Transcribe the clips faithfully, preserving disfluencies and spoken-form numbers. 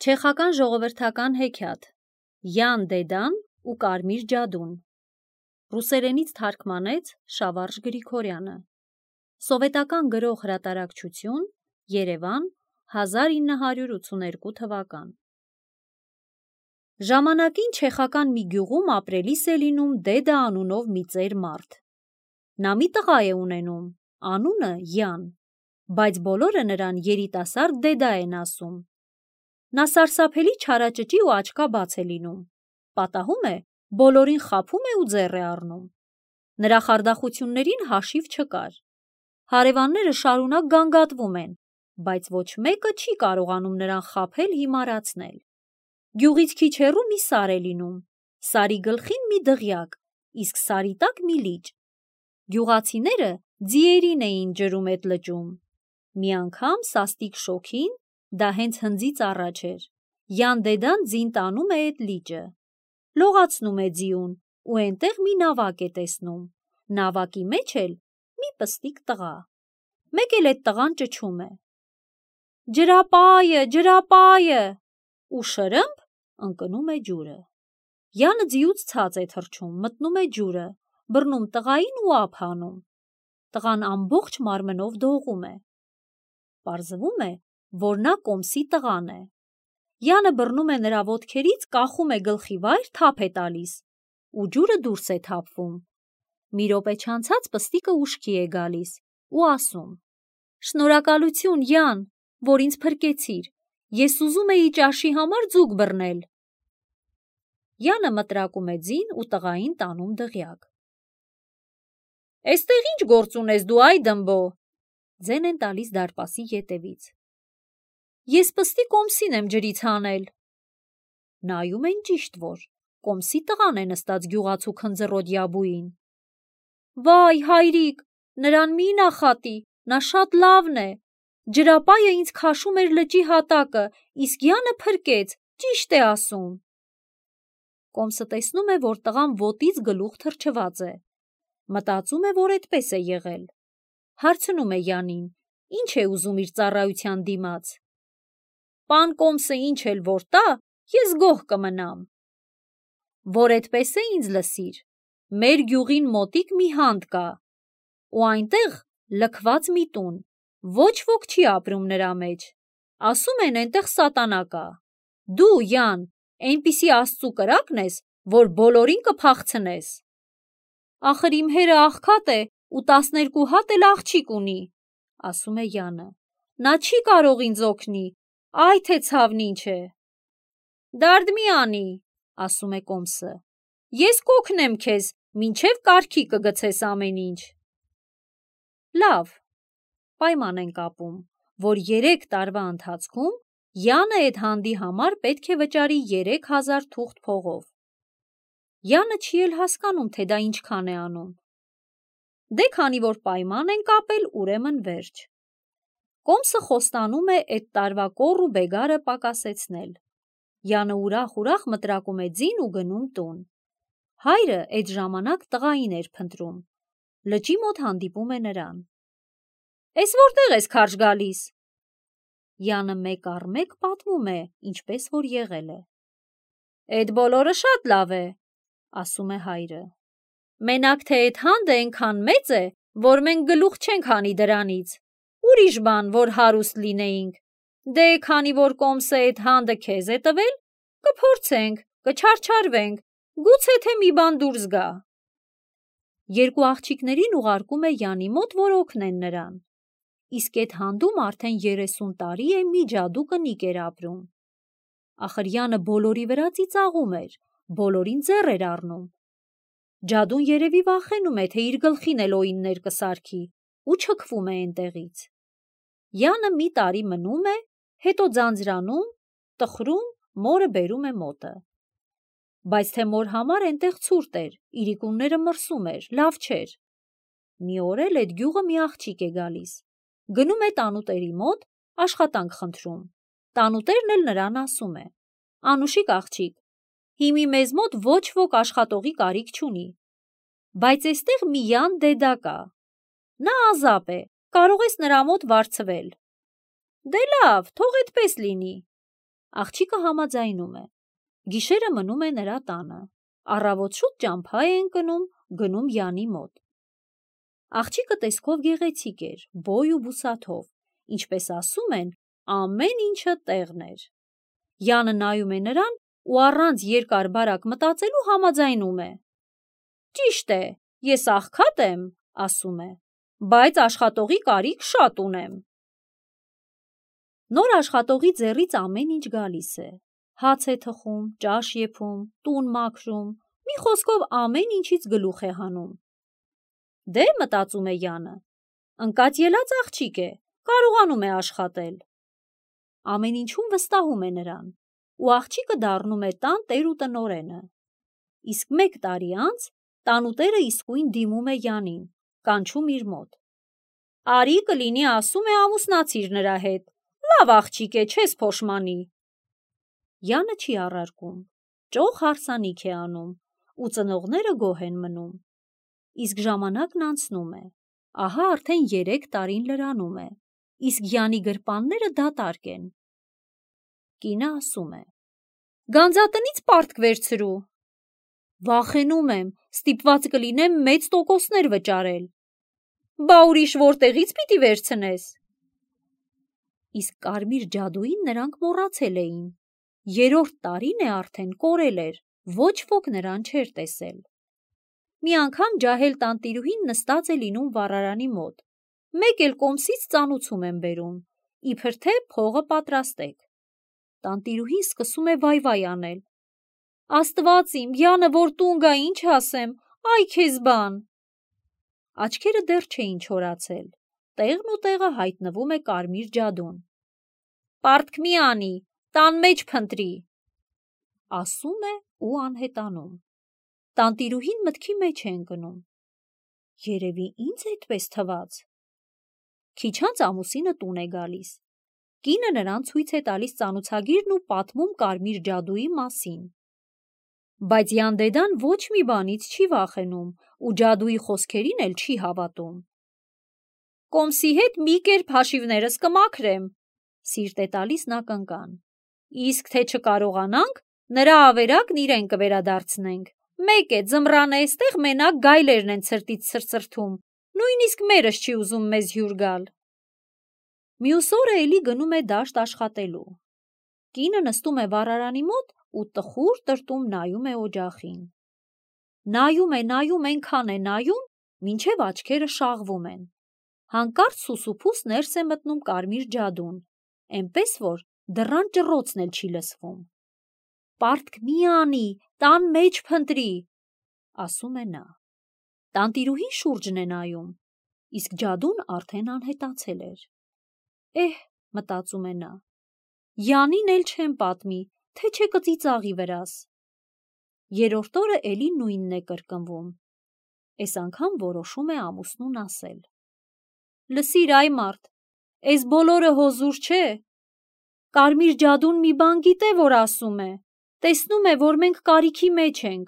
Չեխական ժողովրդական հեքիաթ Յան Դեդան ու Կարմիր ջադուն Ռուսերենից թարգմանեց Շավարժ Գրիգորյանը Սովետական գրող հրատարակչություն Երևան հազար ինը հարյուր ութսուներկու թվական Ժամանակին չեխական մի գյուղում ապրելիս է լինում Դեդա անունով մի ծեր մարդ Նա մի տղա է ունենում, անունը Յան, բայց բոլորը նրան երիտասարդ Դեդա են ասում Նա սարսափելի չարաճճի ու աչքաբաց է լինում, պատահում է, բոլորին խաբում է ու ձեռ է առնում։ Նրա խարդախություններին հաշիվ չկար։ Հարևանները շարունակ գանգատվում են, բայց ոչ մեկը չի կարողանում նրան խաբել հիմարացնել։ Գյուղից քիչ հեռու մի սար է լինում, սարի գլխին մի դղյակ, իսկ սարի տակ մի լիճ։ Գյուղացիները ձիերին էին ջրում էդ լճում։ Մի անգամ սաստիկ շոգին, դա հենց հնձից առաջ էր, Յան Դեդան ձին տանում է էդ լիճը, լողացնում է ձիուն ու էնտեղ մի նավակ է տեսնում, նավակի մեջ էլ մի պստիկ տղա, մեկ էլ էդ տղան ճչում է. «Ջրապայը, ջրապայը» ու շրըմփ ընկնում է ջուրը։ Յանը ձիուց ցած է թռչում, մտնում է ջուրը, բռնում տղային ու ափ հանում։ Տղան ամբողջ մարմնով դողում է։ Պարզվում է, որ նա Կոմսի տղան է։ Յանը բռնում է նրա ոտքերից, կախում է գլխի վայր, թափ է տալիս, ու ջուրը դուրս է թափվում։ Մի րոպե չանցած պստիկը ուշքի է գալիս ու ասում. «Շնորհակալություն, Յան, որ ինձ փրկեցիր, ես ուզում էի ճաշի համար ձուկ բռնել»։ Յանը մտրակում է ձին ու տղային տանում դղյակ։ «Էստեղ ի՞նչ գործ ունես դու, այ դմբո», ձեն են տալիս դարպասի ետևից։ «Ես պստիկ Կոմսին եմ ջրից հանել»։ Նայում են ճիշտ որ, Կոմսի տղան է նստած գյուղացու քնձռոտ յաբույին։ «Վայ, հայրիկ, նրան մի նախատի, նա շատ լավն է, ջրապայը ինձ քաշում էր լճի հատակը, իսկՅանը փրկեց, ճիշտ է ասում»։ Կոմսը տեսնում է, որ տղան ոտից գլուխ թրջված է, մտածում է, որ էդպես է եղել։ Հարցնում է Յանին, ինչ է ուզում իր ծառայության դիմաց։ «Պան Կոմսը ինչ էլ որ տա, ես գոհ կմնամ»։ Որ էդպես է ինձ լսիր, մեր գյուղին մոտիկ մի հանդ կա, ու այնտեղ լքված մի տուն, ոչ ոք չի ապրում նրա մեջ, ասում են էնտեղ սատանա կա։ Դու, Յան, էնպիսի Աստծու կրակն ես, որ բոլորին կփախցնես։ Ախր իմ հերը աղքատ է ու տասներկու հատ էլ աղջիկ ունի, ասում էՅանը, նա չի կարող ինձ օգնի, այ թե ցավն ինչ է։ Դարդ մի անի, ասում է Կոմսը, ես կօգնեմ քեզ, մինչև կարգի կգցես ամեն ինչ։ Լավ, պայման են կապում, որ երեք տարվա ընթացքում Յանը էդ հանդի համար պետք է վճարի երեք հազար թուղթ փողով։ Յանը չի էլ հասկանում, թե դա ինչքան է անում։ Դե քանի որ պայման են կապել, ուրեմն վերջ։ Կոմսը խոստանում է էդ տարվա կոռ ու բեգարը պակասեցնել։ Յանը ուրախ-ուրախ մտրակում է ձին ու գնում տուն։ Հայրը էդ ժամանակ տղային էր փնտրում։ Լճի մոտ հանդիպում է նրան։ Էս որտեղ ես քարշ գալիս։ Յանը մեկ առ մեկ պատմում է, ինչպես որ եղել է։ Էդ բոլորը շատ լավ է, ասում է հայրը։ Մենակ թե էդ հանդը էնքան մեծ է, որ մենք գլուխ չենք հանի դրանից։ Ուրիշ բան, որ հարուստ լինեինք։ Դե քանի որ Կոմսը էդ հանդը քեզ է տվել, կփորձենք, կչարչարվենք, գուցե թե մի բան դուրս գա։ Երկու աղջիկներին ուղարկում է Յանի մոտ, որ օգնեն նրան։ Իսկ էդ հանդում արդեն երեսուն տարի է մի ջադու կնիկ էր ապրում։ Ախր Յանը բոլորի վրա ծիծաղում էր, բոլորին ձեռ էր առնում։ Ջադուն երևի վախենում է, թե իր գլխին էլ օիններ կսարքի ու չքվում է էնտեղից։ Յանը մի տարի մնում է, հետո ձանձրանում, տխրում, մորը բերում է մոտը։ Բայց թե մոր համար էնտեղ ցուրտ էր, իրիկունները մրսում էր, լավ չէր։ Մի օր էլ էդ գյուղը մի աղջիկ է գալիս, գնում է տանուտերի մոտ, աշխատանք խնդրում։ Տանուտերն էլ նրան ասում է. Անուշիկ աղջիկ, հիմի մեզ մոտ ոչ ոք աշխատողի կարիք չունի, բայց էստեղ մի Յան Դեդա կա։ Նա ազապ է, կարող ես նրա մոտ վարձվել։ Դե լավ, թող էդպես լինի։ Աղջիկը համաձայնում է։ Գիշերը մնում է նրա տանը։ Առավոտ շուտ ճամփա է ընկնում, գնում Յանի մոտ։ Աղջիկը տեսքով գեղեցիկ էր, բոյ ու բուսաթով, ինչպես ասում են, ամեն ինչը տեղն էր։ Յանը նայում է նրան ու առանց երկար բարակ մտածելու համաձայնում է։ Ճիշտ է, ես աղքատ եմ, ասում է, բայց աշխատողի կարիք շատ ունեմ։ Նոր աշխատողի ձեռից ամեն ինչ գալիս է։ Հաց է թխում, ճաշ եփում, տուն մաքրում, մի խոսքով ամեն ինչից գլուխ է հանում։ Դե, մտածում է Յանը, ընկած ելած աղջիկ է, կարողանում է աշխատել։ Ամեն ինչում վստահում է նրան, ու աղջիկը դառնում է տան տեր ու տնօրենը։ Իսկ մեկ տարի անց տանուտերը իսկույն դիմում է Յանին, կանչում իր մոտ։ Արի կլինի ասում է ամուսնացիր նրա հետ, լավ աղջիկ է, չես փոշմանի։ Յանը չի առարկում, ճոխ հարսանիք է անում, ու ծնողները գոհ են մնում։ Իսկ ժամանակն անցնում է, ահա արդեն երեք տարին լրանում է, իսկ Յանի գրպանները դատարկ են։ Կինը ասում է. Գանձատնից պարտք վերցրու։ Վախենում եմ, ստիպված կլինեմ մեծ տոկոսներ վճարել։ Բա ուրիշ որտեղից պիտի վերցնես։ Իսկ կարմիր ջադուին նրանք մոռացել էին։ Երրորդ տարին է արդեն կորել էր, ոչ ոք նրան չէր տեսել։ Մի անգամ ջահել տանտիրուհին նստած է լինում վառարանի մոտ։ Մեկ էլ կոմսից ծանուցում են բերում, իբր թե փողը պատրաստեք։ Տանտիրուհին սկսում է վայ-վայ անել։ Աստված իմ, Յանը որ տուն գա, ինչ ասեմ, այ քեզ բան։ Աչքերը դեռ չէին չորացել, տեղն ու տեղը հայտնվում է կարմիր ջադուն։ Պարտք մի անի, տան մեջ փնտրի, ասում է ու անհետանում։ Տանտիրուհին մտքի մեջ է ընկնում։ Երևի ինձ այդպես թվաց։ Քիչ անց ամուսինը տուն է գալիս։ Կինը նրան ցույց է տալիս ծանուցագիրն ու պատմում կարմիր ջադուի մասին։ Բայց Յանդեդան ոչ մի բանից չի վախենում ու ջադուի խոսքերին էլ չի հավատում։ Կոմսի հետ մի կերպ հաշիվներս կմաքրեմ, սիրտ է տալիս նա կնկան։ Իսկ թե չկարողանանք, նրա ավերակն իրեն կվերադարձնենք։ Մեկ է, ձմռանը էստեղ մենակ գայլերն են ցրտից ցրծրթում, նույնիսկ մերս չի ուզում մեզ հյուր գալ։ Մյուս օրը էլի գնում է դաշտ աշխատելու։ Կինը նստում է վառարանի մոտ ու տխուր տրտում նայում է օջախին։ Նայում է, նայում, այնքան է նայում, մինչև աչքերը շաղվում են։ Հանկարծ սուսուփուս ներս է մտնում կարմիր ջադուն, էնպես որ դռան ճռոցն էլ չի լսվում։ Պարտք մի անի, տան մեջ փնտրի, ասում է նա։ Տանտիրուհին շուրջն է նայում, իսկ ջադուն արդեն անհետացել էր։ Էհ, մտածում է նա, Յանին էլ չեմ պատմի, թե չէ կծիծաղի վրաս։ Երրորդ օրը էլի նույնն է կրկնվում։ Էս անգամ որոշում է ամուսնուն ասել. Լսիր, այ մարդ, էս բոլորը հոզուր չէ։ Կարմիր ջադուն մի բան գիտե, որ ասում է, տեսնում է, որ մենք կարիքի մեջ ենք։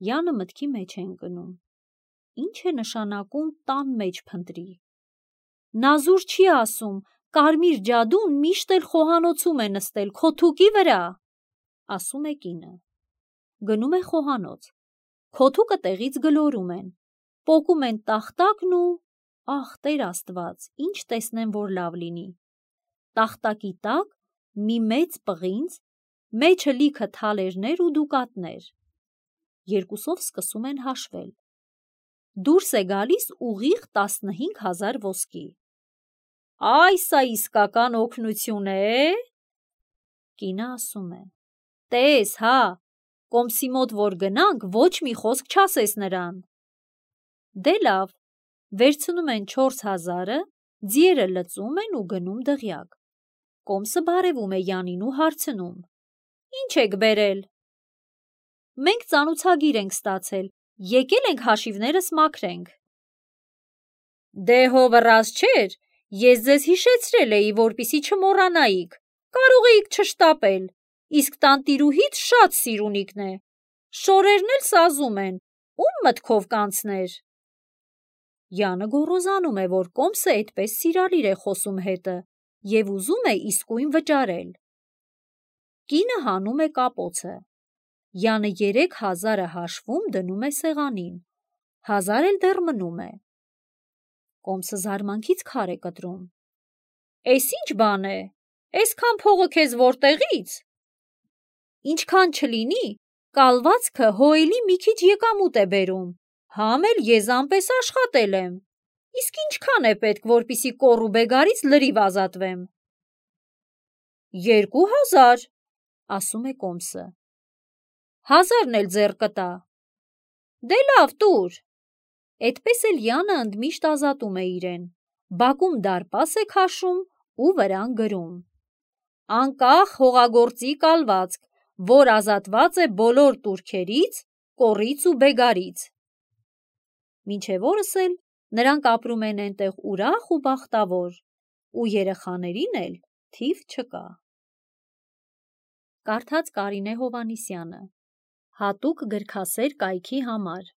Յանը մտքի մեջ է ընկնում։ Ինչ է նշանակում տան մեջ փնտրի։ Նա զուր չի ասում, կարմիր ջադուն միշտ էլ խոհանոցում է նստել քո թուկի վրա, ասում է կինը։ Գնում է խոհանոց։ Քոթուկը տեղից գլորում են, պոկում են տախտակն ու, ախ, Տեր Աստված, ինչ տեսնեմ, որ լավ լինի։ Տախտակի տակ մի մեծ պղինձ, մեջը լիքը թալերներ ու դուկատներ։ Երկուսով սկսում են հաշվել։ Դուրս է գալիս ուղիղ տասնհինգ հազար ոսկի։ Այ սա իսկական օգնություն է։ Կինը ասում է. Տես, հա, կոմսի մոտ որ գնանք, ոչ մի խոսք չասես նրան։ Դե լավ, վերցնում են չորս հազարը, ձիերը լծում են ու գնում դղյակ։ Կոմսը բարևում է Յանին ու հարցնում. Ինչ եք բերել։ Մենք ծանուցագիր ենք ստացել, եկել ենք հաշիվներս մաքրենք։ Դե հովռած չէր, ես ձեզ հիշեցրել էի, որպիսի չմոռանայիք, կարող էիք չշտապել, իսկ տանտիրուհիդ շատ սիրունիկն է, շորերն էլ սազում են, ում մտքով կանցներ։ Յանը գոռոզանում է, որ կոմսը այդպես սիրալիր է խոսում հետը և ուզում է իսկույն վճարել։ Կինը հանում է կապոցը։ Յանը երեք հազարը հաշվում դնում է սեղանին, հազար էլ դեռ մնում է։ Կոմսը զարմանքից քար է կտրում։ Էս ինչ բան է, էսքան փողը քեզ որտեղից։ Ինչքան չլինի, կալվածքը հոելի մի քիչ եկամուտ է բերում, համ էլ եզանպես աշխատել եմ, իսկ ինչքան է պետք, որպիսի կոռու բեգարից լրիվ ազատվեմ։ Երկու հազար, ասում է Կոմսը։ Հազարն էլ ձեռ կտա։ Դե լավ, տուր։ Էդպես էլ Յանը ընդմիշտ ազատում է իրեն, բակում դարպաս է քաշում ու վրան գրում. անկախ հողագործի կալվածք, որ ազատված է բոլոր տուրքերից, կոռից ու բեգարից։ Մինչև օրս էլ նրանք ապրում են էնտեղ ուրախ ու բախտավոր, ու երեխաներին էլ թիվ չկա։ Կարդաց Կարինե Հովհաննիսյանը, հատուկ գրքասեր կայքի համար։